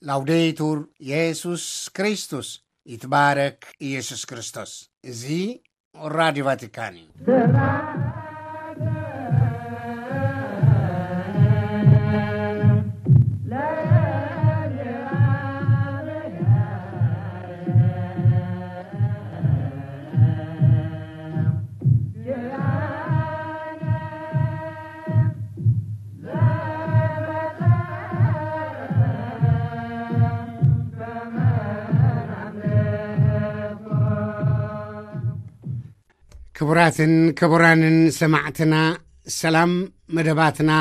ላውዴቱር የሱስ ክርስቶስ፣ ይትባረክ ኢየሱስ ክርስቶስ። እዚ ራዲዮ ቫቲካን እዩ። ክቡራትን ክቡራንን ሰማዕትና፣ ሰላም። መደባትና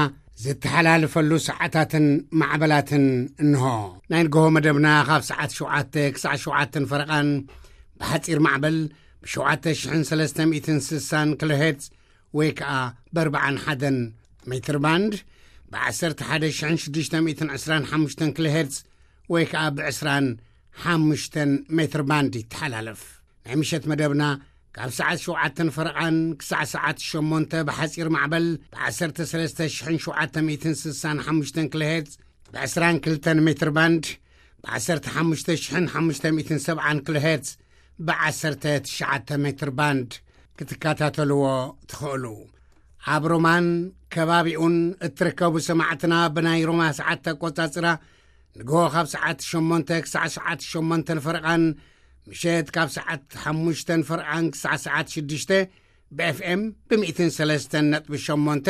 ዝተሓላልፈሉ ሰዓታትን ማዕበላትን እንሆ። ናይ ንግሆ መደብና ካብ ሰዓት ሸውዓተ ክሳዕ ሸውዓተን ፈረቓን ብሓጺር ማዕበል ብ7360 ኪሎ ሄርትዝ ወይ ከኣ ብ41 ሜትር ባንድ፣ ብ11,625 ኪሎ ሄርትዝ ወይ ከኣ ብ25 ሜትር ባንድ ይተሓላለፍ። ናይ ምሸት መደብና ካብ ሰዓት ሸውዓተን ፈረቓን ክሳዕ ሰዓት ሸሞንተ ብሓጺር ማዕበል ብ13,765 ኪሎ ሄርትዝ፣ ብ22 ሜትር ባንድ ብ15,570 ኪሎ ሄርትዝ፣ ብ19 ሜትር ባንድ ክትከታተልዎ ትኽእሉ። ኣብ ሮማን ከባቢኡን እትርከቡ ሰማዕትና፣ ብናይ ሮማ ሰዓት ኣቆጻጽራ ንግሆ ካብ ሰዓት ሸሞንተ ክሳዕ ሰዓት ሸሞንተን ፈረቓን፣ ምሸት ካብ ሰዓት ሓሙሽተን ፈረቓን ክሳዕ ሰዓት ሽዱሽተ ብ ኤፍ ኤም ብ103.8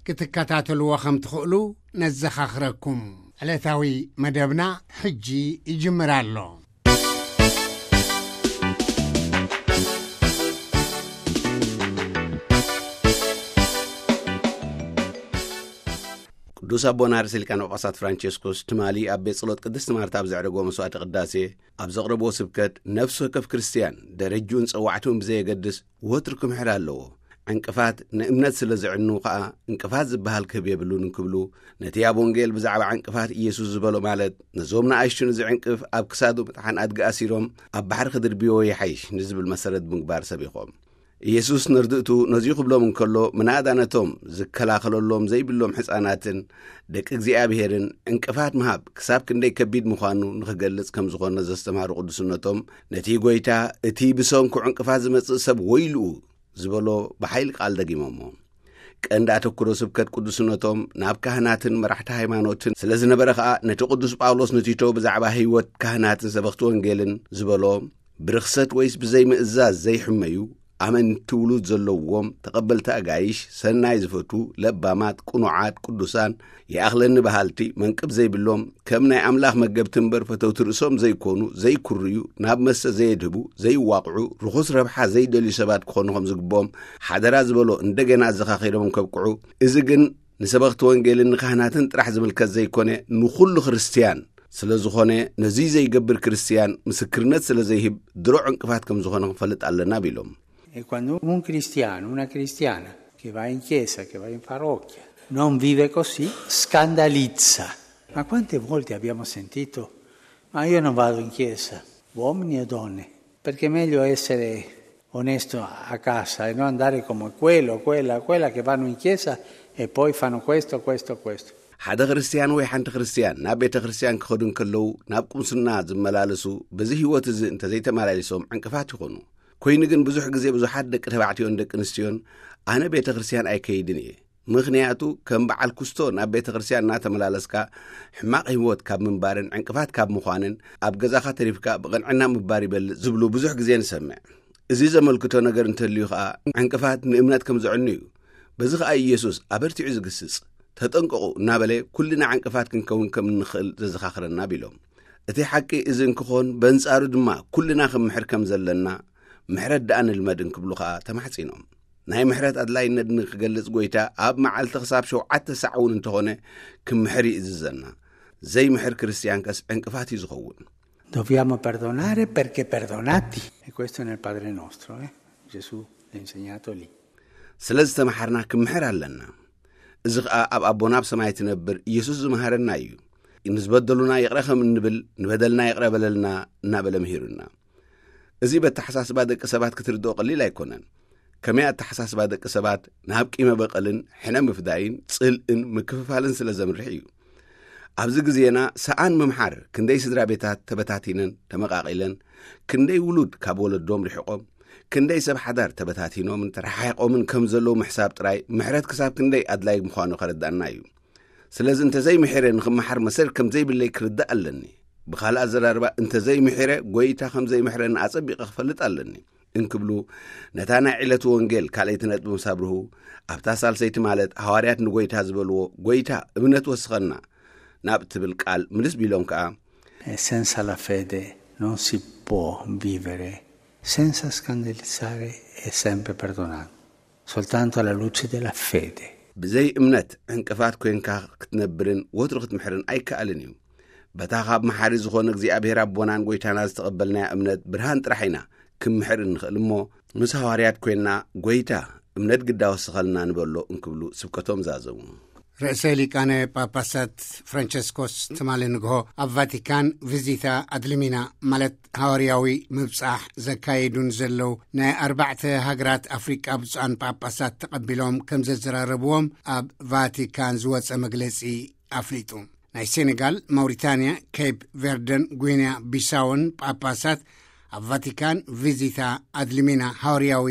ክትከታተልዎ ከም ትኽእሉ ነዘኻኽረኩም። ዕለታዊ መደብና ሕጂ ይጅምር ኣሎ። ቅዱስ ኣቦና ርእሰ ሊቃነ ጳጳሳት ፍራንቸስኮስ ትማሊ ኣብ ቤት ጸሎት ቅድስቲ ማርታ ኣብ ዘዕረጎ መስዋዕተ ቅዳሴ ኣብ ዘቕረብዎ ስብከት፣ ነፍሲ ወከፍ ክርስትያን ደረጅኡን ጸዋዕትኡን ብዘየገድስ ወትሩ ክምሕር ኣለዎ። ዕንቅፋት ንእምነት ስለ ዘዕኑ ከኣ፣ ዕንቅፋት ዝበሃል ክህብ የብሉን እንክብሉ፣ ነቲ ኣብ ወንጌል ብዛዕባ ዕንቅፋት ኢየሱስ ዝበሎ፣ ማለት ነዞም ንኣሽቱ ንዝዕንቅፍ ኣብ ክሳዱ ምጥሓን ኣድጊ ኣሲሮም ኣብ ባሕሪ ክድርብይዎ ይሓይሽ ንዝብል መሰረት ብምግባር ሰቢኾም። ኢየሱስ ነርድእቱ ነዚ ክብሎም እንከሎ፣ ምናዳ ነቶም ዝከላኸለሎም ዘይብሎም ሕፃናትን ደቂ እግዚኣብሔርን ዕንቅፋት ምሃብ ክሳብ ክንደይ ከቢድ ምዃኑ ንኽገልጽ ከም ዝኾነ ዘስተምሃሩ ቅዱስነቶም፣ ነቲ ጐይታ፣ "እቲ ብሰንኩ ዕንቅፋት ዝመጽእ ሰብ ወይልኡ" ዝበሎ ብሓይሊ ቃል ደጊሞሞ። ቀንዲ ኣተኩሮ ስብከት ቅዱስነቶም ናብ ካህናትን መራሕቲ ሃይማኖትን ስለ ዝነበረ ኸኣ፣ ነቲ ቅዱስ ጳውሎስ ንቲቶ ብዛዕባ ህይወት ካህናትን ሰበኽቲ ወንጌልን ዝበሎ፣ ብርኽሰት ወይስ ብዘይምእዛዝ ዘይሕመዩ፣ ኣመንቲ ውሉድ ዘለዎም፣ ተቐበልቲ ኣጋይሽ፣ ሰናይ ዝፈቱ፣ ለባማት፣ ቅኑዓት፣ ቅዱሳን፣ ይኣኽለኒ በሃልቲ፣ መንቅብ ዘይብሎም፣ ከም ናይ ኣምላኽ መገብቲ እምበር ፈተውቲ ርእሶም ዘይኮኑ፣ ዘይኩርዩ፣ ናብ መስተ ዘየድህቡ፣ ዘይዋቕዑ፣ ርኹስ ረብሓ ዘይደልዩ ሰባት ክኾኑ ከም ዝግብኦም ሓደራ ዝበሎ እንደገና ኣዘኻኺሮም ከብቅዑ፣ እዚ ግን ንሰበኽቲ ወንጌልን ንካህናትን ጥራሕ ዝምልከት ዘይኮነ፣ ንኹሉ ክርስትያን ስለ ዝኾነ፣ ነዙይ ዘይገብር ክርስትያን ምስክርነት ስለ ዘይህብ፣ ድሮ ዕንቅፋት ከም ዝኾነ ክንፈልጥ ኣለና ቢሎም። E quando un cristiano, una cristiana che va in chiesa, che va in parrocchia, non vive così, scandalizza. Ma quante volte abbiamo sentito: "Ma io non vado in chiesa", uomini o donne, perché è meglio essere onesto a casa e non andare come quello, quella, quella che vanno in chiesa e poi fanno questo, questo, questo. ሓደ ክርስትያን ወይ ሓንቲ ክርስትያን ናብ ቤተ ክርስትያን ክኸዱ እንከለዉ፣ ናብ ቁምስና ዝመላለሱ፣ በዚ ህይወት እዚ እንተዘይተመላሊሶም ዕንቅፋት ይኾኑ። ኮይኑ ግን ብዙሕ ግዜ ብዙሓት ደቂ ተባዕትዮን ደቂ ኣንስትዮን፣ "ኣነ ቤተ ክርስትያን ኣይከይድን እየ፣ ምኽንያቱ ከም በዓል ኩስቶ ናብ ቤተ ክርስትያን እናተመላለስካ ሕማቕ ህይወት ካብ ምንባርን ዕንቅፋት ካብ ምዃንን፣ ኣብ ገዛኻ ተሪፍካ ብቕንዕና ምባር ይበልጽ" ዝብሉ ብዙሕ ግዜ ንሰምዕ። እዚ ዘመልክቶ ነገር እንተልዩ ኸኣ፣ ዕንቅፋት ንእምነት ከም ዘዕኑ እዩ። በዚ ኸኣ ኢየሱስ ኣበርቲዑ ዝግስጽ፣ "ተጠንቀቑ" እናበለ፣ ኩልና ዕንቅፋት ክንከውን ከም እንኽእል ዘዘኻኽረና ቢሎም። እቲ ሓቂ እዚ እንክኾን፣ በንጻሩ ድማ ኩልና ክንምሕር ከም ዘለና፣ ምሕረት ደኣ ንልመድ እንክብሉ ኸኣ ተማሕጺኖም። ናይ ምሕረት ኣድላይነት ንክገልጽ፣ ጐይታ ኣብ መዓልቲ ክሳብ ሸውዓተ ሳዕ እውን እንተኾነ ክምሕር ይእዝዘና። ዘይምሕር ክርስትያን ከስ ዕንቅፋት እዩ ዝኸውን። Dobbiamo perdonare perché perdonati. E questo è nel Padre nostro, eh? Gesù l'ha insegnato lì. ስለ ዝተመሓርና ክምሕር ኣለና። እዚ ኸኣ ኣብ ኣቦና ኣብ ሰማይ ትነብር ኢየሱስ ዝመሃረና እዩ። ንዝበደሉና ይቕረ ከም እንብል፣ "ንበደልና ይቕረ በለልና" እናበለ ምሂሩና። እዚ በተሓሳስባ ደቂ ሰባት ክትርድኦ ቀሊል ኣይኮነን። ከመይ ኣተሓሳስባ ደቂ ሰባት ናብ ቂመ በቐልን ሕነ ምፍዳይን ጽልእን ምክፍፋልን ስለ ዘምርሕ እዩ። ኣብዚ ግዜና ሰኣን ምምሓር ክንደይ ስድራ ቤታት ተበታቲነን ተመቓቒለን፣ ክንደይ ውሉድ ካብ ወለዶም ርሒቖም፣ ክንደይ ሰብ ሓዳር ተበታቲኖምን ተረሓሒቖምን ከም ዘለዉ ምሕሳብ ጥራይ ምሕረት ክሳብ ክንደይ ኣድላይ ምዃኑ ከረዳእና እዩ። ስለዚ እንተዘይምሒረ ንኽመሓር መሰል ከም ዘይብለይ ክርዳእ ኣለኒ። ብኻልእ ኣዘራርባ እንተዘይምሒረ ጎይታ ከም ዘይምሕረኒ ኣጸቢቐ ክፈልጥ ኣለኒ እንክብሉ ነታ ናይ ዕለቱ ወንጌል ካልኣይቲ ነጥቢ ምስ ኣብርሁ፣ ኣብታ ሳልሰይቲ ማለት ሃዋርያት ንጎይታ ዝበልዎ፣ ጎይታ እምነት ወስኸና ናብ ትብል ቃል ምልስ ቢሎም ከኣ፣ E senza la fede non si può vivere, senza scandalizzare e sempre perdonando. Soltanto alla luce della fede. ብዘይ እምነት ዕንቅፋት ኮንካ ክትነብርን ወትሩ ክትምሕርን ኣይከኣልን እዩ። በታ ካብ መሓሪ ዝኾነ እግዚኣብሔር ኣቦናን ጎይታና ዝተቐበልናያ እምነት ብርሃን ጥራሕ ኢና ክምሕር እንኽእል እሞ፣ ምስ ሃዋርያት ኮይንና፣ ጎይታ እምነት ግዳ ወስኸልና ንበሎ እንክብሉ ስብከቶም ዛዘሙ። ርእሰ ሊቃነ ጳጳሳት ፍራንቸስኮስ ትማሊ ንግሆ ኣብ ቫቲካን ቪዚታ ኣድልሚና፣ ማለት ሃዋርያዊ ምብጻሕ ዘካየዱን ዘለዉ ናይ ኣርባዕተ ሃገራት ኣፍሪቃ ብፁዓን ጳጳሳት ተቐቢሎም ከም ዘዘራረብዎም ኣብ ቫቲካን ዝወጸ መግለጺ ኣፍሊጡ። ናይ ሴኔጋል፣ ማውሪታንያ፣ ኬፕ ቨርደን፣ ጉይንያ ቢሳውን ጳጳሳት ኣብ ቫቲካን ቪዚታ ኣድልሚና ሃዋርያዊ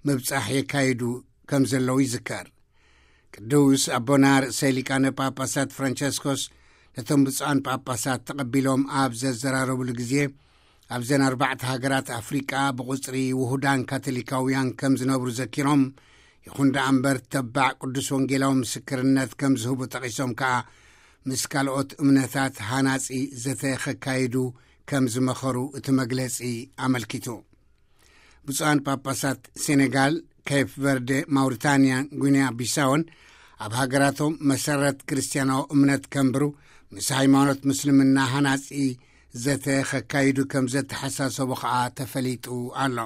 ምብጻሕ የካይዱ ከም ዘለዉ ይዝከር። ቅዱስ ኣቦና ርእሰ ሊቃነ ጳጳሳት ፍራንቸስኮስ ነቶም ብፁዓን ጳጳሳት ተቐቢሎም ኣብ ዘዘራረብሉ ግዜ፣ ኣብዘን ኣርባዕተ ሃገራት ኣፍሪቃ ብቑጽሪ ውሁዳን ካቶሊካውያን ከም ዝነብሩ ዘኪሮም፣ ይኹን ደኣ እምበር ተባዕ ቅዱስ ወንጌላዊ ምስክርነት ከም ዝህቡ ጠቒሶም ከኣ፣ ምስ ካልኦት እምነታት ሃናጺ ዘተ ከካይዱ ከም ዝመኸሩ እቲ መግለጺ ኣመልኪቱ። ብፁዓን ጳጳሳት ሴኔጋል፣ ኬፕ ቨርደ፣ ማውሪታንያን ጉንያ ቢሳውን ኣብ ሃገራቶም መሰረት ክርስትያናዊ እምነት ከንብሩ፣ ምስ ሃይማኖት ምስልምና ሃናጺ ዘተ ከካይዱ ከም ዘተሓሳሰቡ ከኣ ተፈሊጡ ኣሎ።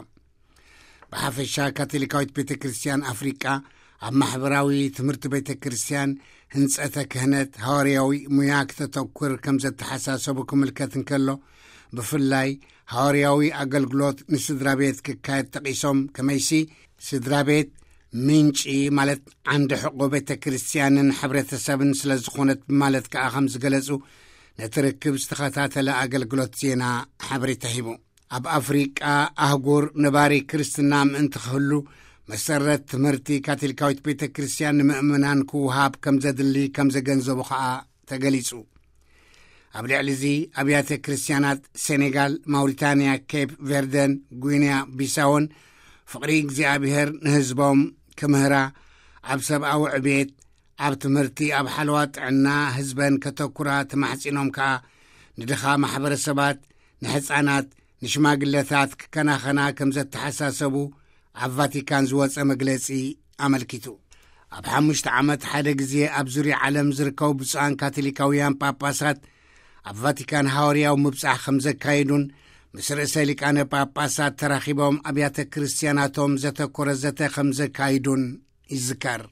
ብሓፈሻ ካቶሊካዊት ቤተ ክርስትያን ኣፍሪቃ ኣብ ማሕበራዊ ትምህርቲ ቤተ ክርስትያን፣ ህንጸተ ክህነት፣ ሃዋርያዊ ሙያ ክተተኩር ከም ዘተሓሳሰቡ ክምልከት እንከሎ፣ ብፍላይ ሃዋርያዊ ኣገልግሎት ንስድራ ቤት ክካየድ ጠቒሶም፣ ከመይሲ ስድራ ቤት ምንጪ ማለት ዓንዲ ሕቆ ቤተ ክርስትያንን ሕብረተሰብን ስለ ዝኾነት ብማለት ከኣ ከም ዝገለጹ ነቲ ርክብ ዝተኸታተለ ኣገልግሎት ዜና ሓበሬታ ሂቡ። ኣብ ኣፍሪቃ ኣህጉር ነባሪ ክርስትና ምእንቲ ክህሉ መሰረት ትምህርቲ ካቶሊካዊት ቤተ ክርስትያን ንምእመናን ክወሃብ ከም ዘድሊ ከም ዘገንዘቡ ከኣ ተገሊጹ። ኣብ ልዕሊ እዚ ኣብያተ ክርስትያናት ሴኔጋል፣ ማውሪታንያ፣ ኬፕ ቨርደን፣ ጉይንያ ቢሳውን ፍቕሪ እግዚኣብሔር ንህዝቦም ክምህራ፣ ኣብ ሰብኣዊ ዕቤት፣ ኣብ ትምህርቲ፣ ኣብ ሓለዋ ጥዕና ህዝበን ከተኩራ ተማሕጺኖም ከኣ ንድኻ ማሕበረሰባት፣ ንሕጻናት፣ ንሽማግለታት ክከናኸና ከም ዘተሓሳሰቡ ኣብ ቫቲካን ዝወጸ መግለጺ ኣመልኪቱ። ኣብ ሓሙሽተ ዓመት ሓደ ግዜ ኣብ ዙርያ ዓለም ዝርከቡ ብፁዓን ካቶሊካውያን ጳጳሳት ኣብ ቫቲካን ሃዋርያዊ ምብጻሕ ከም ዘካየዱን ምስ ርእሰ ሊቃነ ጳጳሳት ተራኺቦም ኣብያተ ክርስትያናቶም ዘተኮረ ዘተ ከም ዘካይዱን ይዝከር።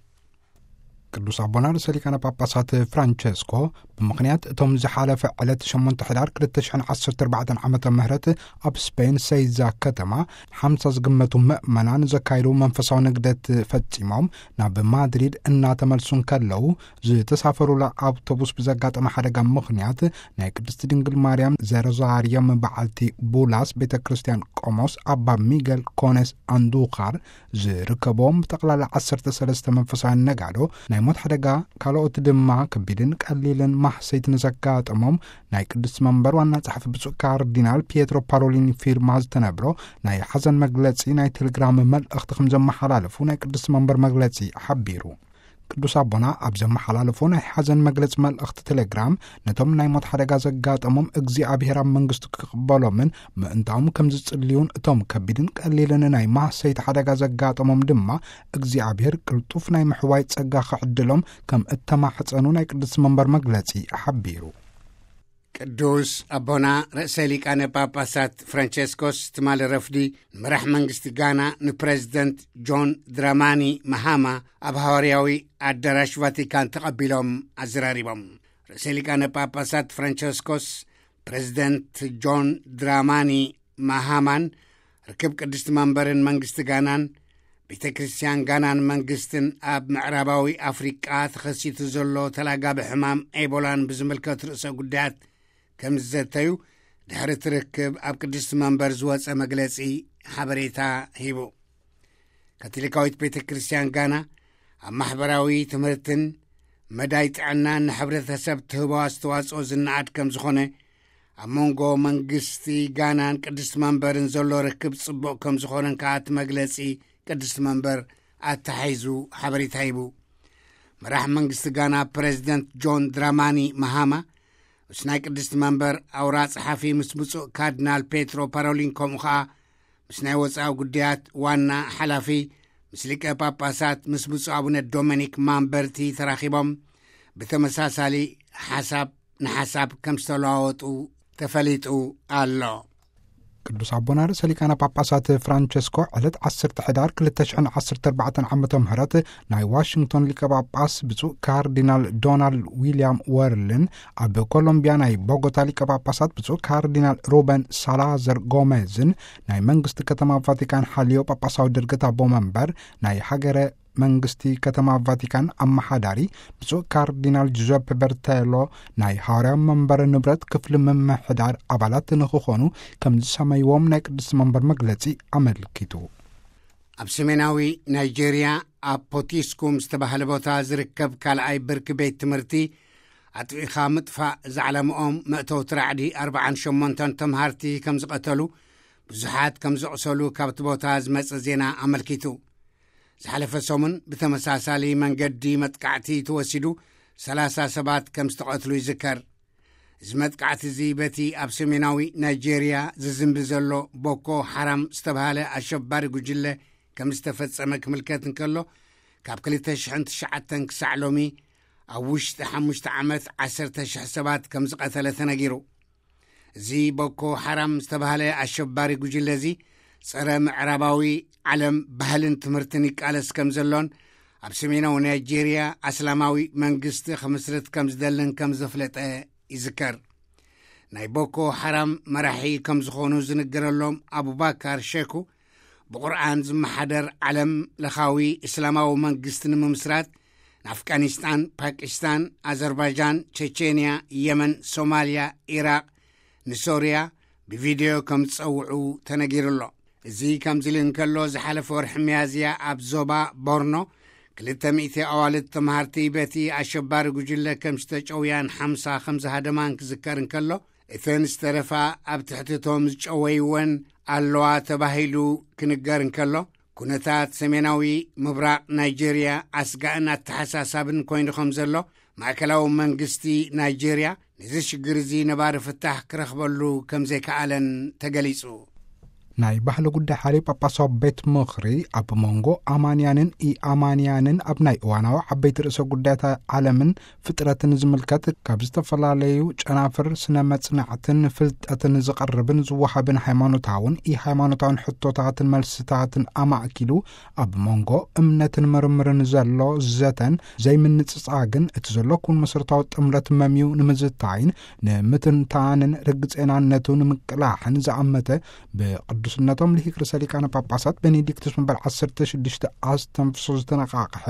ቅዱስ ኣቦና ርእሰ ሊቃነ ጳጳሳት ፍራንቸስኮ ብምኽንያት እቶም ዝሓለፈ ዕለት ሸሞንተ ሕዳር ክልተ ሽሕን ዓሰርተ ኣርባዕተን ዓመተ ምህረት ኣብ ስፔን ሰይዛ ከተማ ሓምሳ ዝግመቱ ምእመናን ዘካየዱ መንፈሳዊ ንግደት ፈጺሞም ናብ ማድሪድ እናተመልሱ እንከለዉ፣ ዝተሳፈሩላ ኣውቶቡስ ብዘጋጠመ ሓደጋ ምኽንያት ናይ ቅድስቲ ድንግል ማርያም ዘሮዛርዮም በዓልቲ ቡላስ ቤተ ክርስቲያን ቆሞስ ኣባ ሚገል ኮኔስ ኣንዱኻር ዝርከቦም ብጠቕላላ ዓሰርተ ሰለስተ መንፈሳውያን ነጋዶ ናይ ሞት ሓደጋ፣ ካልኦት ድማ ከቢድን ቀሊልን ማህሰይቲ ንዘጋጠሞም ናይ ቅድስቲ መንበር ዋና ጸሓፊ ብፁዕ ካርዲናል ፒየትሮ ፓሮሊኒ ፊርማ ዝተነብሮ ናይ ሓዘን መግለጺ ናይ ቴሌግራም መልእኽቲ ከም ዘመሓላለፉ ናይ ቅድስቲ መንበር መግለጺ ሓቢሩ። ቅዱስ ኣቦና ኣብ ዘመሓላለፎ ናይ ሓዘን መግለጺ መልእኽቲ ቴሌግራም፣ ነቶም ናይ ሞት ሓደጋ ዘጋጠሞም እግዚኣብሔር ኣብ መንግስቱ ክቕበሎምን ምእንታኦም ከም ዝጽልዩን እቶም ከቢድን ቀሊልን ናይ ማህሰይቲ ሓደጋ ዘጋጠሞም ድማ እግዚኣብሔር ቅልጡፍ ናይ ምሕዋይ ጸጋ ክዕድሎም ከም እተማሕጸኑ ናይ ቅድስቲ መንበር መግለጺ ሓቢሩ። ቅዱስ ኣቦና ርእሰ ሊቃነ ጳጳሳት ፍራንቸስኮስ ትማሊ ረፍዲ ንመራሕ መንግስቲ ጋና ንፕረዚደንት ጆን ድራማኒ ማሃማ ኣብ ሃዋርያዊ ኣዳራሽ ቫቲካን ተቐቢሎም ኣዘራሪቦም። ርእሰ ሊቃነ ጳጳሳት ፍራንቸስኮስ ፕረዚደንት ጆን ድራማኒ ማሃማን ርክብ ቅድስቲ መንበርን መንግስቲ ጋናን ቤተ ክርስቲያን ጋናን መንግስትን ኣብ ምዕራባዊ ኣፍሪቃ ተኸሲቱ ዘሎ ተላጋቢ ሕማም ኤቦላን ብዝምልከት ርእሰ ጉዳያት ከም ዝዘተዩ ድሕሪ ትርክብ ኣብ ቅድስቲ መንበር ዝወጸ መግለጺ ሓበሬታ ሂቡ። ካቶሊካዊት ቤተ ክርስቲያን ጋና ኣብ ማሕበራዊ ትምህርትን መዳይ ጥዕናን ንሕብረተሰብ ትህቦ ኣስተዋጽኦ ዝነኣድ ከም ዝኾነ፣ ኣብ መንጎ መንግስቲ ጋናን ቅድስቲ መንበርን ዘሎ ርክብ ጽቡቕ ከም ዝኾነን ከኣ እቲ መግለጺ ቅድስቲ መንበር ኣተሓሒዙ ሓበሬታ ሂቡ። መራሕ መንግስቲ ጋና ፕረዚደንት ጆን ድራማኒ መሃማ ምስ ናይ ቅድስቲ መንበር ኣውራ ጸሓፊ ምስ ብፁዕ ካርዲናል ፔትሮ ፓሮሊን ከምኡ ኸኣ ምስ ናይ ወጻኢ ጉዳያት ዋና ሓላፊ ምስ ሊቀ ጳጳሳት ምስ ብፁዕ ኣቡነ ዶሚኒክ ማምበርቲ ተራኺቦም ብተመሳሳሊ ሓሳብ ንሓሳብ ከም ዝተለዋወጡ ተፈሊጡ ኣሎ። ቅዱስ ኣቦና ርእሰ ሊቃነ ጳጳሳት ፍራንቸስኮ ዕለት ዓሰርተ ሕዳር ክልተ ሽሕን ዓሰርተ ኣርባዕተን ዓመተ ምህረት ናይ ዋሽንግቶን ሊቀ ጳጳስ ብፁዕ ካርዲናል ዶናልድ ዊልያም ወርልን ኣብ ኮሎምቢያ ናይ ቦጎታ ሊቀ ጳጳሳት ብፁዕ ካርዲናል ሩበን ሳላዘር ጎሜዝን ናይ መንግስቲ ከተማ ቫቲካን ሓልዮ ጳጳሳዊ ድርገት ኣቦ መንበር ናይ ሃገረ መንግስቲ ከተማ ቫቲካን ኣመሓዳሪ ብፁዕ ካርዲናል ጁዘፕ በርቴሎ ናይ ሃዋርያ መንበረ ንብረት ክፍሊ ምምሕዳር ኣባላት ንክኾኑ ከም ዝሰመይዎም ናይ ቅድስቲ መንበር መግለጺ ኣመልኪቱ። ኣብ ሰሜናዊ ናይጄርያ ኣብ ፖቲስኩም ዝተባህለ ቦታ ዝርከብ ካልኣይ ብርኪ ቤት ትምህርቲ ኣጥቢኻ ምጥፋእ ዝዓለምኦም መእተውቲ ራዕዲ ኣርባዓን ሸሞንተን ተምሃርቲ ከም ዝቐተሉ ብዙሓት ከም ዘቑሰሉ ካብቲ ቦታ ዝመጸ ዜና ኣመልኪቱ። ዝሓለፈ ሰሙን ብተመሳሳሊ መንገዲ መጥቃዕቲ ተወሲዱ ሰላሳ ሰባት ከም ዝተቐትሉ ይዝከር። እዚ መጥቃዕቲ እዚ በቲ ኣብ ሰሜናዊ ናይጄርያ ዝዝንቢ ዘሎ ቦኮ ሓራም ዝተባህለ ኣሸባሪ ጉጅለ ከም ዝተፈጸመ ክምልከት እንከሎ፣ ካብ ክልተ ሽሕን ትሽዓተን ክሳዕ ሎሚ ኣብ ውሽጢ ሓሙሽተ ዓመት ዓሰርተ ሽሕ ሰባት ከም ዝቐተለ ተነጊሩ። እዚ ቦኮ ሓራም ዝተባህለ ኣሸባሪ ጉጅለ እዚ ጸረ ምዕራባዊ ዓለም ባህልን ትምህርትን ይቃለስ ከም ዘሎን ኣብ ሰሜናዊ ናይጄርያ ኣስላማዊ መንግስቲ ክምስርት ከም ዝደልን ከም ዘፍለጠ ይዝከር። ናይ ቦኮ ሓራም መራሒ ከም ዝኾኑ ዝንገረሎም ኣቡባካር ሸኩ ብቁርኣን ዝመሓደር ዓለም ለኻዊ እስላማዊ መንግስቲ ንምምስራት ንኣፍጋኒስታን፣ ፓኪስታን፣ ኣዘርባይጃን፣ ቸቼንያ፣ የመን፣ ሶማልያ፣ ኢራቕ፣ ንሶርያ ብቪድዮ ከም ዝጸውዑ ተነጊሩ ኣሎ። እዚ ከምዚ ኢሉ እንከሎ፣ ዝሓለፈ ወርሒ ሚያዝያ ኣብ ዞባ ቦርኖ ክልተ ሚእቲ ኣዋልድ ተምሃርቲ በቲ ኣሸባሪ ጉጅለ ከም ዝተጨውያን ሓምሳ ከም ዝሃደማን ክዝከር እንከሎ፣ እተን ዝተረፋ ኣብ ትሕቲ እቶም ዝጨወይወን ኣለዋ ተባሂሉ ክንገር እንከሎ፣ ኩነታት ሰሜናዊ ምብራቕ ናይጄርያ ኣስጋእን ኣተሓሳሳብን ኮይኑ ከም ዘሎ፣ ማእከላዊ መንግስቲ ናይጄርያ ነዚ ሽግር እዚ ነባሪ ፍታሕ ክረኽበሉ ከም ዘይከኣለን ተገሊጹ። ናይ ባህሊ ጉዳይ ሓልዮ ጳጳሳዊ ቤት ምኽሪ ኣብ መንጎ ኣማንያንን ኢኣማንያንን ኣብ ናይ እዋናዊ ዓበይቲ ርእሰ ጉዳያት ዓለምን ፍጥረትን ዝምልከት ካብ ዝተፈላለዩ ጨናፍር ስነ መጽናዕትን ፍልጠትን ዝቐርብን ዝወሃብን ሃይማኖታውን ኢሃይማኖታውን ሕቶታትን መልስታትን ኣማእኪሉ ኣብ መንጎ እምነትን ምርምርን ዘሎ ዘተን ዘይምንጽጻግን እቲ ዘሎ ኩን መሰረታዊ ጥምረት መምዩ ንምዝታይን ንምትንታንን ርግጼናነቱ ንምቅላሕን ዝኣመተ ብቅዱስነቶም ልሂቅ ርእሰ ሊቃነ ጳጳሳት ቤኔዲክቱስ መንበር ዓሰርተ ሽዱሽተ ኣስተንፍሶ ዝተነቃቅሐ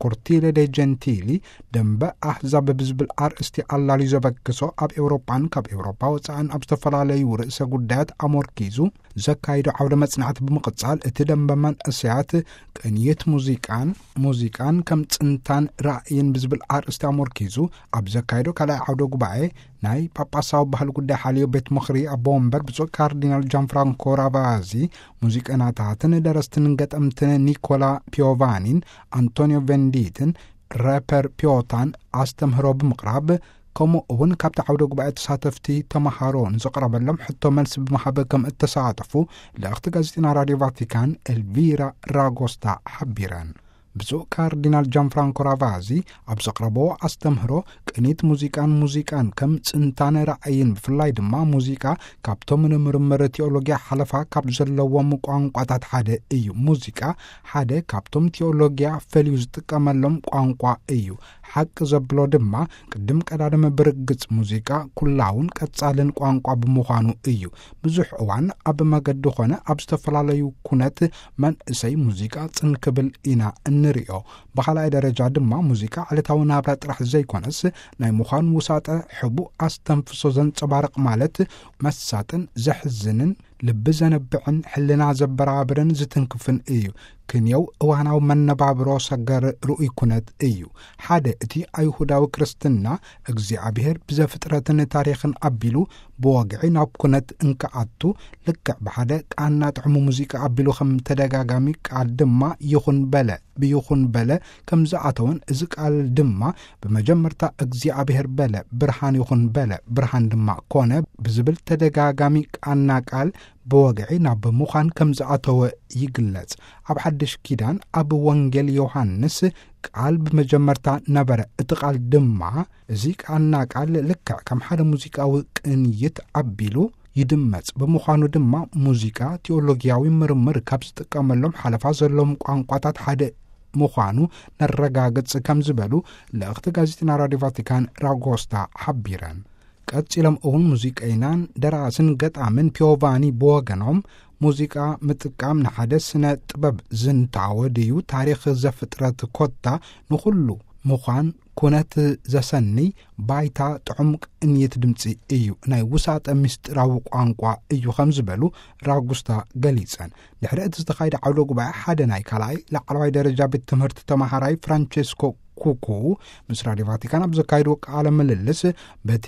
ኮርቲለ ደ ጀንቲሊ ደንበ ኣህዛብ ብዝብል ኣርእስቲ ኣላልዩ ዘበግሶ ኣብ ኤውሮጳን ካብ ኤውሮጳ ወጻእን ኣብ ዝተፈላለዩ ርእሰ ጉዳያት ኣሞርኪዙ ዘካይዶ ዓውደ መጽናዕቲ ብምቕጻል፣ እቲ ደንበ መንእሰያት ቅንየት ሙዚቃን፣ ሙዚቃን ከም ጽንታን ራእይን ብዝብል ኣርእስቲ ኣሞርኪዙ ኣብ ዘካይዶ ካልኣይ ዓውደ ጉባኤ ናይ ጳጳሳዊ ባህሊ ጉዳይ ሓልዮ ቤት ምኽሪ ኣቦ ወንበር ብፁዕ ካርዲናል ጃን ፍራንኮ ራቫዚ፣ ሙዚቀኛታትን ደረስትን ገጠምትን ኒኮላ ፒዮቫኒን ኣንቶኒዮ ቬንዲትን ራፐር ፒዮታን ኣስተምህሮ ብምቕራብ፣ ከምኡ እውን ካብቲ ዓውደ ጉባኤ ተሳተፍቲ ተምሃሮ ንዘቕረበሎም ሕቶ መልሲ ብምሃብ ከም እተሳተፉ ልእኽቲ ጋዜጠና ራድዮ ቫቲካን ኤልቪራ ራጎስታ ሓቢረን። ብፁዕ ካርዲናል ጃን ፍራንኮ ራቫዚ ኣብ ዘቕረብዎ ኣስተምህሮ፣ ቅኒት ሙዚቃን ሙዚቃን ከም ጽንታን ራእይን፣ ብፍላይ ድማ ሙዚቃ ካብቶም ንምርምር ቲኦሎጊያ ሓለፋ ካብ ዘለዎም ቋንቋታት ሓደ እዩ። ሙዚቃ ሓደ ካብቶም ቲኦሎጊያ ፈልዩ ዝጥቀመሎም ቋንቋ እዩ። ሓቂ ዘብሎ ድማ ቅድም ቀዳድም ብርግጽ ሙዚቃ ኩላውን ቀጻልን ቋንቋ ብምዃኑ እዩ። ብዙሕ እዋን ኣብ መገዲ ኾነ ኣብ ዝተፈላለዩ ኩነት መንእሰይ ሙዚቃ ጽን ክብል ኢና እንርእዮ። ብኻልኣይ ደረጃ ድማ ሙዚቃ ዕለታዊ ናብራ ጥራሕ ዘይኮነስ ናይ ምዃን ውሳጠ ሕቡእ ኣስተንፍሶ ዘንጸባርቕ ማለት መሳጥን ዘሕዝንን ልቢ ዘነብዕን ሕልና ዘበራብርን ዝትንክፍን እዩ። ክንየው እዋናዊ መነባብሮ ሰገር ርኡይ ኩነት እዩ። ሓደ እቲ ኣይሁዳዊ ክርስትና እግዚኣብሔር ብዘፍጥረትን ታሪኽን ኣቢሉ ብወግዒ ናብ ኩነት እንክኣቱ ልክዕ ብሓደ ቃና ጥዕሙ ሙዚቃ ኣቢሉ ከም ተደጋጋሚ ቃል ድማ ይኹን በለ ብይኹን በለ ከም ዝኣተወን እዚ ቃል ድማ ብመጀመርታ እግዚኣብሔር በለ ብርሃን ይኹን በለ ብርሃን ድማ ኮነ ብዝብል ተደጋጋሚ ቃና ቃል ብወግዒ ናብ ምዃን ከም ዝኣተወ ይግለጽ። ኣብ ሓድሽ ኪዳን ኣብ ወንጌል ዮሃንስ ቃል ብመጀመርታ ነበረ፣ እቲ ቃል ድማ እዚ ቃና ቃል ልክዕ ከም ሓደ ሙዚቃዊ ቅንይት ኣቢሉ ይድመጽ። ብምዃኑ ድማ ሙዚቃ ቲኦሎጊያዊ ምርምር ካብ ዝጥቀመሎም ሓለፋ ዘለዎም ቋንቋታት ሓደ ምዃኑ ነረጋግጽ ከም ዝበሉ ልእኽቲ ጋዜጠና ራዲዮ ቫቲካን ራጎስታ ሓቢረን። ቀጺሎም እውን ሙዚቀይናን ደራስን ገጣምን ፒዮቫኒ ብወገኖም ሙዚቃ ምጥቃም ንሓደ ስነ ጥበብ ዝንታወ ድዩ? ታሪኽ ዘፍጥረት ኮታ ንኹሉ ምዃን ኩነት ዘሰንይ ባይታ ጥዑም ቅንይት ድምጺ እዩ። ናይ ውሳጠ ምስጢራዊ ቋንቋ እዩ ከም ዝበሉ ራጉስታ ገሊጸን። ድሕሪ እቲ ዝተኻየደ ዓውደ ጉባኤ ሓደ ናይ ካልኣይ ላዕለዋይ ደረጃ ቤት ትምህርቲ ተማሃራይ ፍራንቸስኮ ኩኩ ምስ ራዲዮ ቫቲካን ኣብ ዘካየድዎ ቃለ ምልልስ በቲ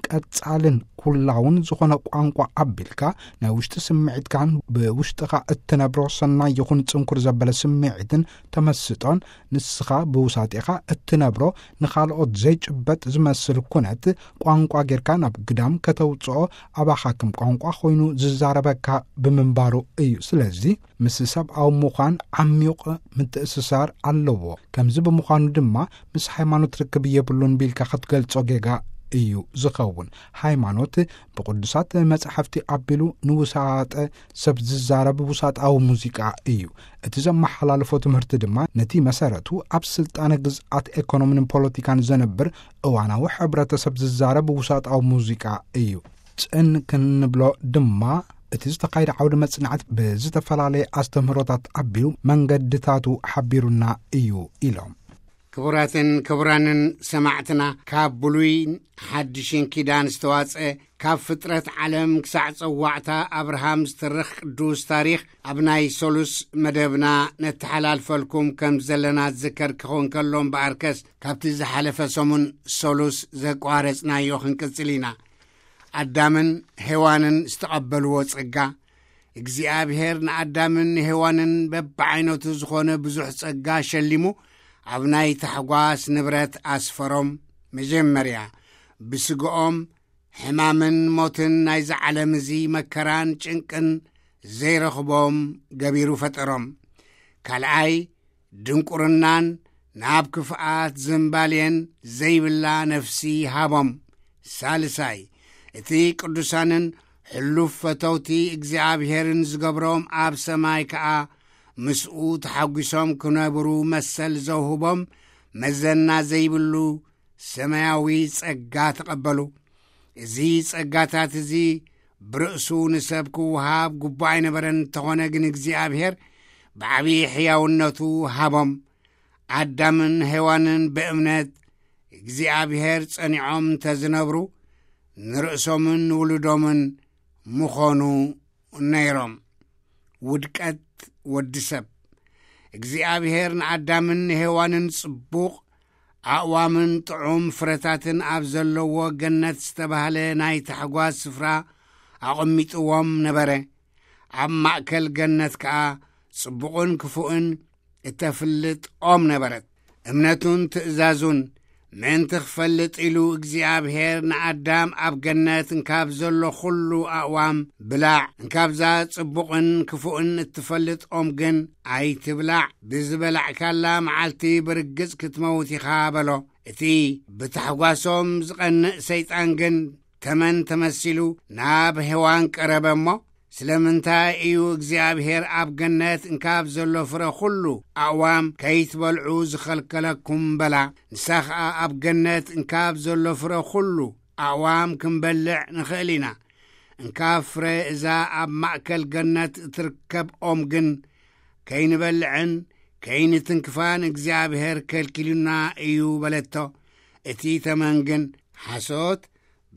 ቀጻልን ኩላውን ዝኾነ ቋንቋ ኣቢልካ ናይ ውሽጢ ስምዒትካን ብውሽጥኻ እትነብሮ ሰናይ ይኹን ጽንኩር ዘበለ ስምዒትን ተመስጦን ንስኻ ብውሳጤኻ እትነብሮ ንኻልኦት ዘይጭበጥ ዝመስል ኩነት ቋንቋ ጌርካ ናብ ግዳም ከተውጽኦ ኣባኻ ከም ቋንቋ ኮይኑ ዝዛረበካ ብምንባሩ እዩ። ስለዚ ምስ ሰብኣዊ ምዃን ዓሚቕ ምትእስሳር ኣለዎ። ከምዚ ብምዃኑ ድማ ምስ ሃይማኖት ርክብ የብሉን ቢልካ ክትገልጾ ጌጋ እዩ ዝኸውን። ሃይማኖት ብቅዱሳት መጻሕፍቲ ኣቢሉ ንውሳጠ ሰብ ዝዛረብ ውሳጣዊ ሙዚቃ እዩ። እቲ ዘመሓላልፎ ትምህርቲ ድማ ነቲ መሰረቱ ኣብ ስልጣነ ግዝኣት ኤኮኖሚን ፖለቲካን ዘንብር እዋናዊ ሕብረተሰብ ዝዛረብ ውሳጣዊ ሙዚቃ እዩ። ጽን ክንብሎ ድማ እቲ ዝተኻየደ ዓውዲ መጽናዕት ብዝተፈላለየ ኣስተምህሮታት ኣቢሉ መንገድታቱ ሓቢሩና እዩ ኢሎም። ክቡራትን ክቡራንን ሰማዕትና፣ ካብ ብሉይን ሓድሽን ኪዳን ዝተዋጽአ ካብ ፍጥረት ዓለም ክሳዕ ጸዋዕታ ኣብርሃም ዝትርኽ ቅዱስ ታሪኽ ኣብ ናይ ሶሉስ መደብና ነተሓላልፈልኩም ከም ዘለና ዝዝከር ክኸውን ከሎ እምበኣርከስ ካብቲ ዝሓለፈ ሰሙን ሶሉስ ዘቋረጽናዮ ክንቅጽል ኢና። ኣዳምን ሄዋንን ዝተቐበልዎ ጸጋ፣ እግዚኣብሔር ንኣዳምን ንሄዋንን በብዓይነቱ ዝኾነ ብዙሕ ጸጋ ሸሊሙ ኣብ ናይ ታሕጓስ ንብረት ኣስፈሮም። መጀመርያ ብስግኦም ሕማምን ሞትን ናይዚ ዓለም እዚ መከራን ጭንቅን ዘይረኽቦም ገቢሩ ፈጠሮም። ካልኣይ ድንቁርናን ናብ ክፍኣት ዝምባልየን ዘይብላ ነፍሲ ሃቦም። ሳልሳይ እቲ ቅዱሳንን ሕሉፍ ፈተውቲ እግዚኣብሔርን ዝገብሮም ኣብ ሰማይ ከኣ ምስኡ ተሓጒሶም ክነብሩ መሰል ዘውህቦም መዘና ዘይብሉ ሰማያዊ ጸጋ ተቐበሉ። እዚ ጸጋታት እዚ ብርእሱ ንሰብ ክወሃብ ግቡእ ኣይነበረን። እንተኾነ ግን እግዚኣብሔር ብዓብዪ ሕያውነቱ ሃቦም። ኣዳምን ሄዋንን ብእምነት እግዚኣብሔር ጸኒዖም እንተ ዝነብሩ ንርእሶምን ንውሉዶምን ምኾኑ ነይሮም። ውድቀት ወዲ ሰብ። እግዚኣብሔር ንኣዳምን ንሄዋንን ጽቡቕ ኣእዋምን ጥዑም ፍረታትን ኣብ ዘለዎ ገነት ዝተባህለ ናይ ታሕጓስ ስፍራ ኣቐሚጥዎም ነበረ። ኣብ ማእከል ገነት ከኣ ጽቡቕን ክፉእን እተፍልጥ ኦም ነበረት። እምነቱን ትእዛዙን ምእንቲ ክፈልጥ ኢሉ እግዚኣብሔር ንኣዳም ኣብ ገነት እንካብ ዘሎ ኹሉ ኣእዋም ብላዕ፣ እንካብዛ ጽቡቕን ክፉእን እትፈልጥ ኦም ግን ኣይትብላዕ፣ ብዝበላዕካላ መዓልቲ ብርግጽ ክትመውት ኢኻ በሎ። እቲ ብታሕጓሶም ዝቐንእ ሰይጣን ግን ተመን ተመሲሉ ናብ ሄዋን ቀረበ እሞ፣ ስለምንታይ እዩ እግዚኣብሔር ኣብ ገነት እንካብ ዘሎ ፍረ ኩሉ ኣእዋም ከይትበልዑ ዝኸልከለኩም? በላ። ንሳ ኸኣ ኣብ ገነት እንካብ ዘሎ ፍረ ኩሉ ኣእዋም ክንበልዕ ንኽእል ኢና። እንካብ ፍረ እዛ ኣብ ማእከል ገነት እትርከብ ኦም ግን ከይንበልዕን ከይንትንክፋን እግዚኣብሔር ከልኪሉና እዩ በለቶ። እቲ ተመን ግን ሓሶት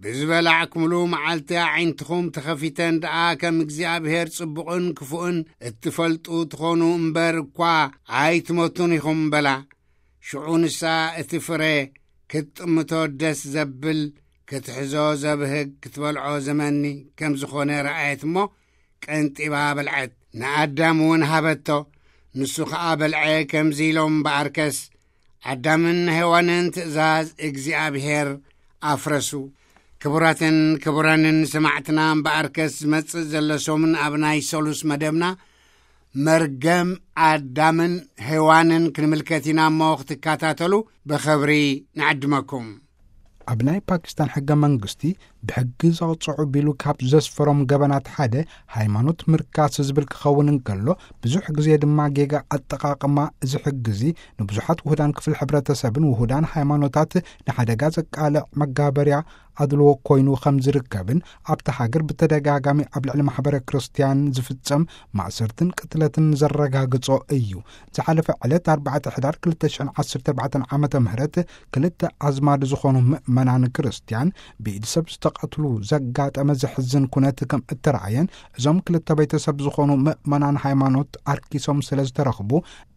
ብዝበላዕኩምሉ መዓልቲ ኣዒንትኹም ተኸፊተን ደኣ ከም እግዚኣብሔር ጽቡቕን ክፉእን እትፈልጡ ትኾኑ እምበር እኳ ኣይትሞቱን ኢኹም በላ። ሽዑ ንሳ እቲ ፍረ ክትጥምቶ ደስ ዘብል ክትሕዞ ዘብህግ ክትበልዖ ዘመኒ ከም ዝኾነ ረኣየት እሞ ቀንጢባ በልዐት። ንኣዳም እውን ሃበቶ። ንሱ ኸኣ በልዐ ከምዚ ኢሎም በኣርከስ ኣዳምን ሄዋንን ትእዛዝ እግዚኣብሔር ኣፍረሱ። ክቡራትን ክቡራንን ሰማዕትና እምበኣርከስ ዝመጽእ ዘሎ ሰሙን ኣብ ናይ ሰሉስ መደብና መርገም ኣዳምን ሄዋንን ክንምልከት ኢና እሞ ክትከታተሉ ብኸብሪ ንዕድመኩም። ኣብ ናይ ፓኪስታን ሕገ መንግስቲ ብሕጊ ዘቕጽዑ ቢሉ ካብ ዘስፈሮም ገበናት ሓደ ሃይማኖት ምርካስ ዝብል ክኸውን እንከሎ ብዙሕ ግዜ ድማ ጌጋ ኣጠቓቕማ እዚ ሕጊ እዚ ንብዙሓት ውሁዳን ክፍል ሕብረተሰብን ውሁዳን ሃይማኖታት ንሓደጋ ዘቃልዕ መጋበርያ ኣድልዎ ኮይኑ ከም ዝርከብን ኣብቲ ሃገር ብተደጋጋሚ ኣብ ልዕሊ ማሕበረ ክርስትያን ዝፍጸም ማእሰርትን ቅትለትን ዘረጋግጾ እዩ። ዝሓለፈ ዕለት ኣርባዕተ ሕዳር ክልተ ሽሕን ዓሰርተ ኣርባዕተን ዓመተ ምህረት ክልተ ኣዝማድ ዝኾኑ ምእመናን ክርስትያን ብኢድ ሰብ ዝተቐትሉ ዘጋጠመ ዘሕዝን ኩነት ከም እተረኣየን እዞም ክልተ ቤተሰብ ዝኾኑ ምእመናን ሃይማኖት ኣርኪሶም ስለ ዝተረኽቡ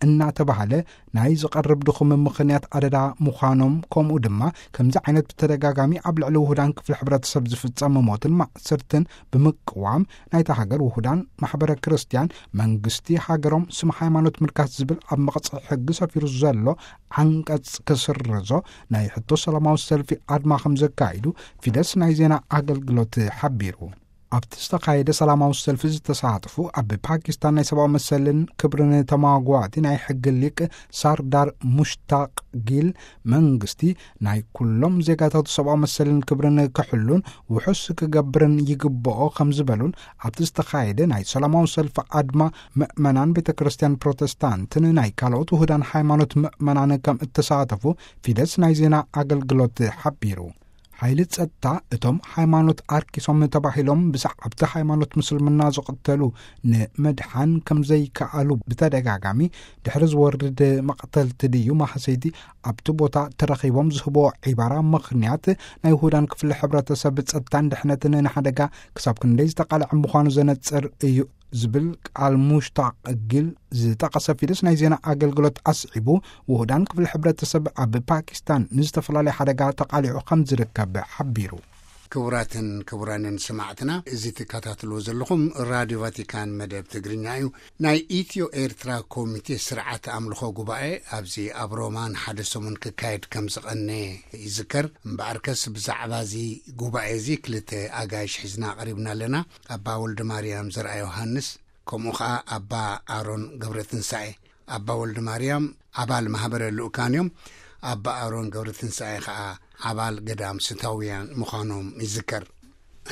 እናተባህለ ናይ ዝቐርብ ድኹም ምኽንያት ኣደዳ ምዃኖም ከምኡ ድማ ከምዚ ዓይነት ብተደጋጋሚ ኣብ ልዕሊ ውሁዳን ክፍሊ ሕብረተሰብ ዝፍጸም ሞትን ማእሰርትን ብምቅዋም ናይታ ሃገር ውሁዳን ማሕበረ ክርስትያን መንግስቲ ሃገሮም ስም ሃይማኖት ምርካስ ዝብል ኣብ መቕጽዒ ሕጊ ሰፊሩ ዘሎ ዓንቀጽ ክስርዞ ናይ ሕቶ ሰላማዊ ሰልፊ ኣድማ ከም ዘካይዱ ፊደስ ናይ ዜና ኣገልግሎት ሓቢሩ። ኣብቲ ዝተኻየደ ሰላማዊ ሰልፊ ዝተሳተፉ ኣብ ፓኪስታን ናይ ሰብኣዊ መሰልን ክብርን ተማጓቲ ናይ ሕጊ ሊቅ ሳርዳር ሙሽታቅ ጊል መንግስቲ ናይ ኩሎም ዜጋታቱ ሰብኣዊ መሰልን ክብርን ክሕሉን ውሑስ ክገብርን ይግብኦ ከም ዝበሉን ኣብቲ ዝተኻየደ ናይ ሰላማዊ ሰልፊ ኣድማ ምእመናን ቤተ ክርስትያን ፕሮቴስታንትን ናይ ካልኦት ውሁዳን ሃይማኖት ምእመናን ከም እተሳተፉ ፊደስ ናይ ዜና ኣገልግሎት ሓቢሩ። ሓይሊ ጸጥታ እቶም ሃይማኖት ኣርኪሶም ተባሂሎም ብሰዓብቲ ሃይማኖት ምስልምና ዝቕተሉ ንምድሓን ከም ዘይከኣሉ ብተደጋጋሚ ድሕሪ ዝወርድ መቕተልቲ ድዩ ማህሰይቲ ኣብቲ ቦታ ተረኺቦም ዝህቦ ዒባራ ምኽንያት ናይ ውሁዳን ክፍሊ ሕብረተሰብ ጸጥታን ድሕነትን ንሓደጋ ክሳብ ክንደይ ዝተቓልዐ ምዃኑ ዘነጽር እዩ ዝብል ቃል ሙሽታቅ ጊል ዝጠቐሰ ፊደስ ናይ ዜና ኣገልግሎት ኣስዒቡ ውሁዳን ክፍሊ ሕብረተሰብ ኣብ ፓኪስታን ንዝተፈላለየ ሓደጋ ተቓሊዑ ከም ዝርከብ ሓቢሩ። ክቡራትን ክቡራንን ሰማዕትና እዚ ትከታተልዎ ዘለኹም ራድዮ ቫቲካን መደብ ትግርኛ እዩ። ናይ ኢትዮ ኤርትራ ኮሚቴ ስርዓት ኣምልኾ ጉባኤ ኣብዚ ኣብ ሮማ ንሓደ ሰሙን ክካየድ ከም ዝቐነ ይዝከር። እምበኣርከስ ብዛዕባ እዚ ጉባኤ እዚ ክልተ ኣጋይሽ ሒዝና ቀሪብና ኣለና። ኣባ ወልደ ማርያም ዘርኣ ዮሃንስ ከምኡ ኸኣ ኣባ ኣሮን ገብረ ትንሳኤ። ኣባ ወልደ ማርያም ኣባል ማህበረ ልኡካን እዮም። ኣባ ኣሮን ገብረ ትንሳኤ ኸኣ ኣባል ገዳም ስታውያን ምዃኖም ይዝከር።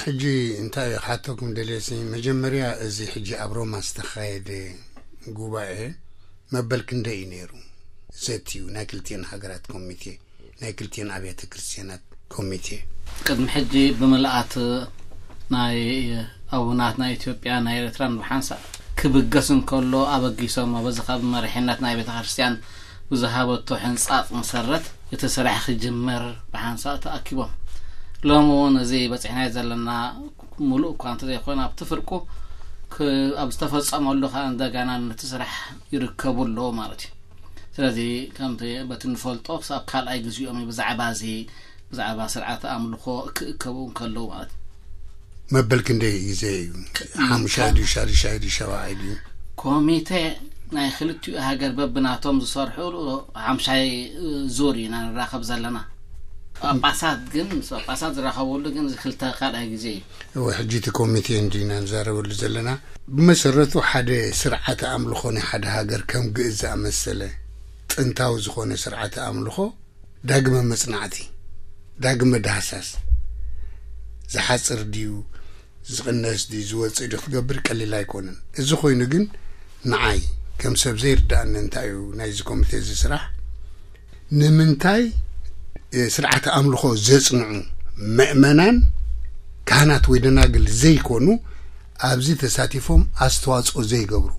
ሕጂ እንታይ ክሓተኩም ደልየሲ፣ መጀመርያ እዚ ሕጂ ኣብ ሮማ ዝተኻየደ ጉባኤ መበል ክንደይ እዩ ነይሩ? ዘትዩ ናይ ክልቲኤን ሃገራት ኮሚቴ፣ ናይ ክልቲኤን ኣብያተ ክርስትያናት ኮሚቴ። ቅድሚ ሕጂ ብምልኣት ናይ ኣቡናት ናይ ኢትዮጵያ ናይ ኤርትራን ብሓንሳእ ክብገስ እንከሎ ኣበጊሶም በዚ ካብ መሪሕነት ናይ ቤተ ክርስትያን ብዝሃበቶ ሕንጻጽ መሰረት እቲ ስራሕ ክጅመር ብሓንሳእ ተኣኪቦም። ሎሚ እውን እዚ በፂሕናዮ ዘለና ሙሉእ እኳ እንተዘይኮነ ኣብቲ ፍርቁ ክ- ኣብ ዝተፈጸመሉ ከዓ እንደገና ነቲ ስራሕ ይርከቡ ኣለዉ ማለት እዩ። ስለዚ ከምቲ በቲ ንፈልጦ ክሳብ ካልኣይ ግዜኦም እዩ ብዛዕባ እዚ ብዛዕባ ስርዓተ ኣምልኾ ክእከቡ እንከለዉ ማለት እዩ። መበል ክንደይ ግዜ እዩ? ሓሙሻይ ድዩ ሻድሻይ ድዩ ሸባዓይ ድዩ? ኮሚቴ ናይ ክልቲኡ ሃገር በብናቶም ዝሰርሑ ሓምሻይ ዙር ኢና ንራኸብ ዘለና። ጳጳሳት ግን ምስ ጳጳሳት ዝራኸበሉ ግን እዚ ክልተ ካልኣይ ግዜ እዩ። እወ፣ ሕጂ እቲ ኮሚቴ እንዲና ንዛረበሉ ዘለና። ብመሰረቱ ሓደ ስርዓተ ኣምልኾ ናይ ሓደ ሃገር ከም ግእዝ ዝኣመሰለ ጥንታዊ ዝኾነ ስርዓተ ኣምልኾ ዳግመ መጽናዕቲ፣ ዳግመ ዳህሳስ፣ ዝሓጽር ድዩ፣ ዝቕነስ ድዩ ዝወፅእ ድዩ ክትገብር ቀሊል ኣይኮነን። እዚ ኮይኑ ግን ንዓይ ከም ሰብ ዘይርዳእኒ እንታይ እዩ ናይዚ ኮሚቴ እዚ ስራሕ? ንምንታይ ስርዓተ ኣምልኾ ዘጽንዑ ምእመናን፣ ካህናት ወይ ደናግል ዘይኮኑ ኣብዚ ተሳቲፎም ኣስተዋጽኦ ዘይገብሩ?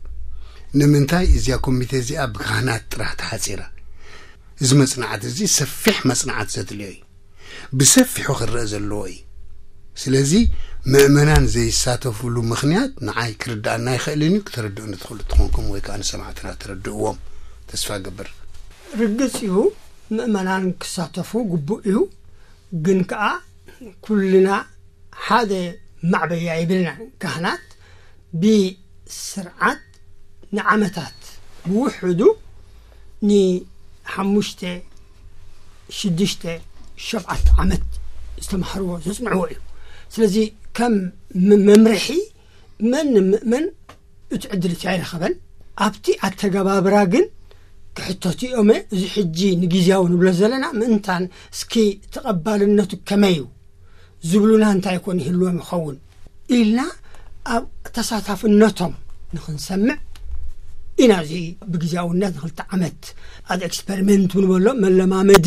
ንምንታይ እዚኣ ኮሚቴ እዚኣ ብካህናት ጥራሕ ተሓጺራ? እዚ መጽናዕቲ እዚ ሰፊሕ መጽናዕቲ ዘድልዮ እዩ። ብሰፊሑ ክረአ ዘለዎ እዩ። ስለዚ ምእመናን ዘይሳተፍሉ ምኽንያት ንዓይ ክርዳእና ኣይኽእልን እዩ። ክተረድኡኒ ትኽእሉ ትኾንኩም ወይ ከዓ ንሰማዕትና ተረድእዎም ተስፋ ገብር። ርግጽ እዩ፣ ምእመናን ክሳተፉ ግቡእ እዩ። ግን ከኣ ኩልና ሓደ ማዕበያ ይብልና። ካህናት ብስርዓት ንዓመታት ብውሕዱ ንሓሙሽተ ሽዱሽተ ሸብዓተ ዓመት ዝተማህርዎ ዘጽንዕዎ እዩ። ስለዚ ከም መምርሒ መን ምእመን እቲ ዕድል እቲ ኣይረኸበን። ኣብቲ ኣተገባብራ ግን ክሕተቱ እዮመ። እዚ ሕጂ ንግዜያዊ ንብሎ ዘለና ምእንታን እስኪ ተቐባልነቱ ከመይ እዩ ዝብሉና እንታይ ኮን ይህልዎም ይኸውን ኢልና ኣብ ተሳታፍነቶም ንኽንሰምዕ ኢና። እዚ ብግዜያውነት ንክልተ ዓመት ኣድ ኤክስፐሪመንት ንበሎ መለማመዲ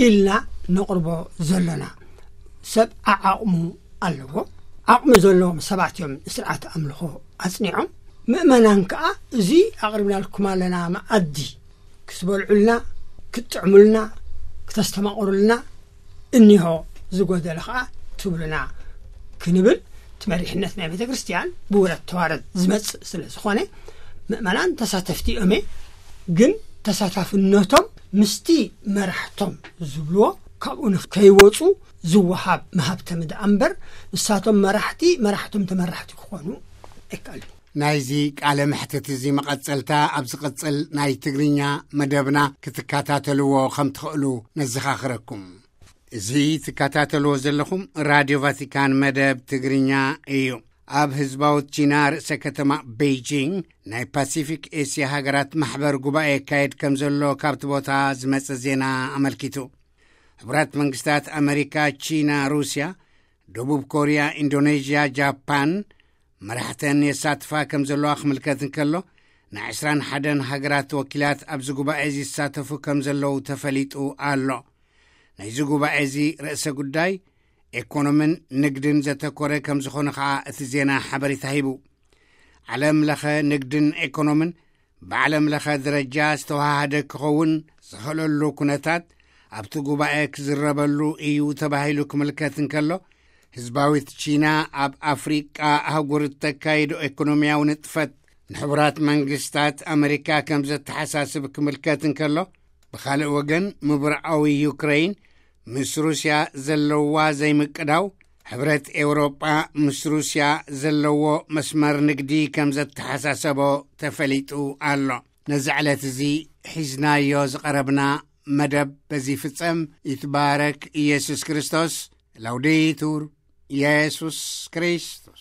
ኢልና ነቕርቦ ዘለና። ሰብ ኣዓቕሙ ኣለዎ። ዓቕሚ ዘለዎም ሰባት እዮም ንስርዓት ኣምልኾ ኣጽኒዖም። ምእመናን ከኣ እዚ ኣቕርብናልኩም ኣለና መኣዲ ክትበልዑልና፣ ክትጥዕሙልና፣ ክተስተማቕሩልና እኒሆ ዝጎደለ ከኣ ትብሉና ክንብል እቲ መሪሕነት ናይ ቤተ ክርስቲያን ብውረድ ተዋረድ ዝመጽእ ስለ ዝኾነ ምእመናን ተሳተፍቲ እዮም። ግን ተሳታፍነቶም ምስቲ መራሕቶም ዝብልዎ ካብኡ ንከይወፁ ዝወሃብ መሃብተሚ ደኣ እምበር ንሳቶም መራሕቲ መራሕቶም ተመራሕቲ ክኾኑ ኣይከኣልን። ናይዚ ቃለ መሕትት እዚ መቐጸልታ ኣብ ዝቕጽል ናይ ትግርኛ መደብና ክትከታተልዎ ከም ትኽእሉ ነዘኻኽረኩም። እዚ ትከታተልዎ ዘለኹም ራድዮ ቫቲካን መደብ ትግርኛ እዩ። ኣብ ህዝባዊት ቺና ርእሰ ከተማ ቤይጂንግ ናይ ፓሲፊክ ኤስያ ሃገራት ማሕበር ጉባኤ የካየድ ከም ዘሎ ካብቲ ቦታ ዝመጸ ዜና ኣመልኪቱ። ሕቡራት መንግስታት ኣመሪካ፣ ቺና፣ ሩስያ፣ ደቡብ ኮርያ፣ ኢንዶኔዥያ፣ ጃፓን መራሕተን የሳትፋ ከም ዘለዋ ክምልከት እንከሎ፣ ናይ ዕስራን ሓደን ሃገራት ወኪላት ኣብዚ ጉባኤ እዚ ይሳተፉ ከም ዘለዉ ተፈሊጡ ኣሎ። ናይዚ ጉባኤ እዚ ርእሰ ጉዳይ ኤኮኖምን ንግድን ዘተኮረ ከም ዝኾነ ኸዓ እቲ ዜና ሓበሬታ ሂቡ። ዓለም ለኸ ንግድን ኤኮኖምን ብዓለም ለኸ ደረጃ ዝተወሃሃደ ክኸውን ዝኽእለሉ ኩነታት ኣብቲ ጉባኤ ክዝረበሉ እዩ ተባሂሉ ክምልከት እንከሎ፣ ህዝባዊት ቺና ኣብ ኣፍሪቃ ኣህጉር እተካይዶ ኤኮኖሚያዊ ንጥፈት ንሕቡራት መንግስታት ኣመሪካ ከም ዘተሓሳስብ ክምልከት እንከሎ፣ ብኻልእ ወገን ምብራዓዊ ዩክረይን ምስ ሩስያ ዘለዋ ዘይምቅዳው፣ ሕብረት ኤውሮጳ ምስ ሩስያ ዘለዎ መስመር ንግዲ ከም ዘተሓሳሰቦ ተፈሊጡ ኣሎ። ነዚ ዕለት እዚ ሒዝናዮ ዝቐረብና መደብ በዚ ይፍጸም። ይትባረክ ኢየሱስ ክርስቶስ። ላውዴቱር ኢየሱስ ክርስቶስ።